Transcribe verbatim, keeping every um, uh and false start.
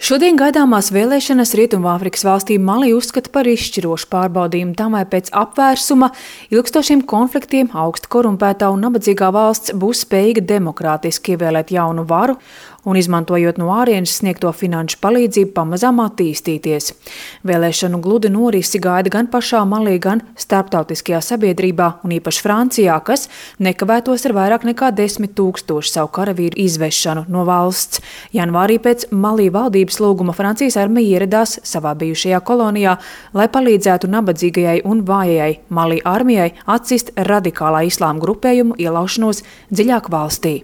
Šodien gaidāmās vēlēšanas Rietumāfrikas valstī Mali uzskata par izšķirošu pārbaudījumu tam, vai pēc apvērsuma, ilgstošiem konfliktiem augsti korumpētā un nabadzīgā valsts būs spējīga demokrātiski ievēlēt jaunu varu un, izmantojot no ārienes sniegto finanšu palīdzību, pamazām attīstīties. Vēlēšanu gludi norisi gaida gan pašā Malī, gan starptautiskajā sabiedrībā un īpaši Francijā, kas nekavētos ar vairāk nekā desmit tūkstošu savu karavīru izvešanu no valsts. Janvārī pēc Malī valdības lūguma Francijas armija ieradās savā bijušajā kolonijā, lai palīdzētu nabadzīgajai un vājajai Malī armijai atcist radikālā islāma grupējumu ielaušanos dziļāk valstī.